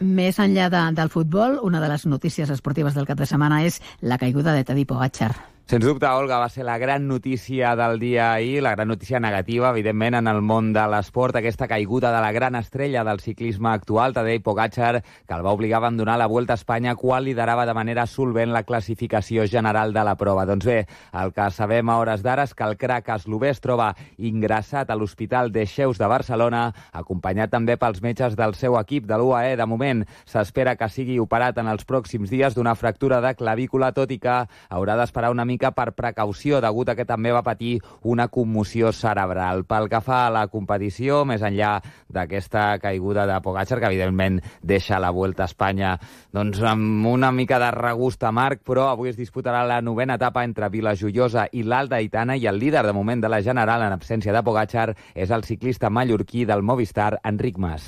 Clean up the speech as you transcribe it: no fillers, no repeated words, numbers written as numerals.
Més enllà del futbol, una de les notícies esportives del cap de setmana és la caiguda de Tadej Pogačar. Sens dubte, Olga, va ser la gran notícia del dia ahir, la gran notícia negativa, evidentment, en el món de l'esport, aquesta caiguda de la gran estrella del ciclisme actual, Tadej Pogačar, que el va obligar a abandonar la Vuelta a Espanya quan liderava de manera solvent la classificació general de la prova. Doncs bé, el que sabem a hores d'ara és que el crac eslové es troba ingressat a l'Hospital Dexeus de Barcelona, acompanyat també pels metges del seu equip de l'UAE. De moment, s'espera que sigui operat en els pròxims dies d'una fractura de clavícula, tot i que haurà d'esperar una mica per precaució, degut a que també va patir una commoció cerebral. Pel que fa a la competició, més enllà d'aquesta caiguda de Pogačar, que evidentment deixa la Vuelta a Espanya doncs, amb una mica de regust amarg, però avui es disputarà la 9ª etapa entre Vilajoiosa i l'Alta Aitana, i el líder de moment de la general en absència de Pogačar és el ciclista mallorquí del Movistar, Enric Mas.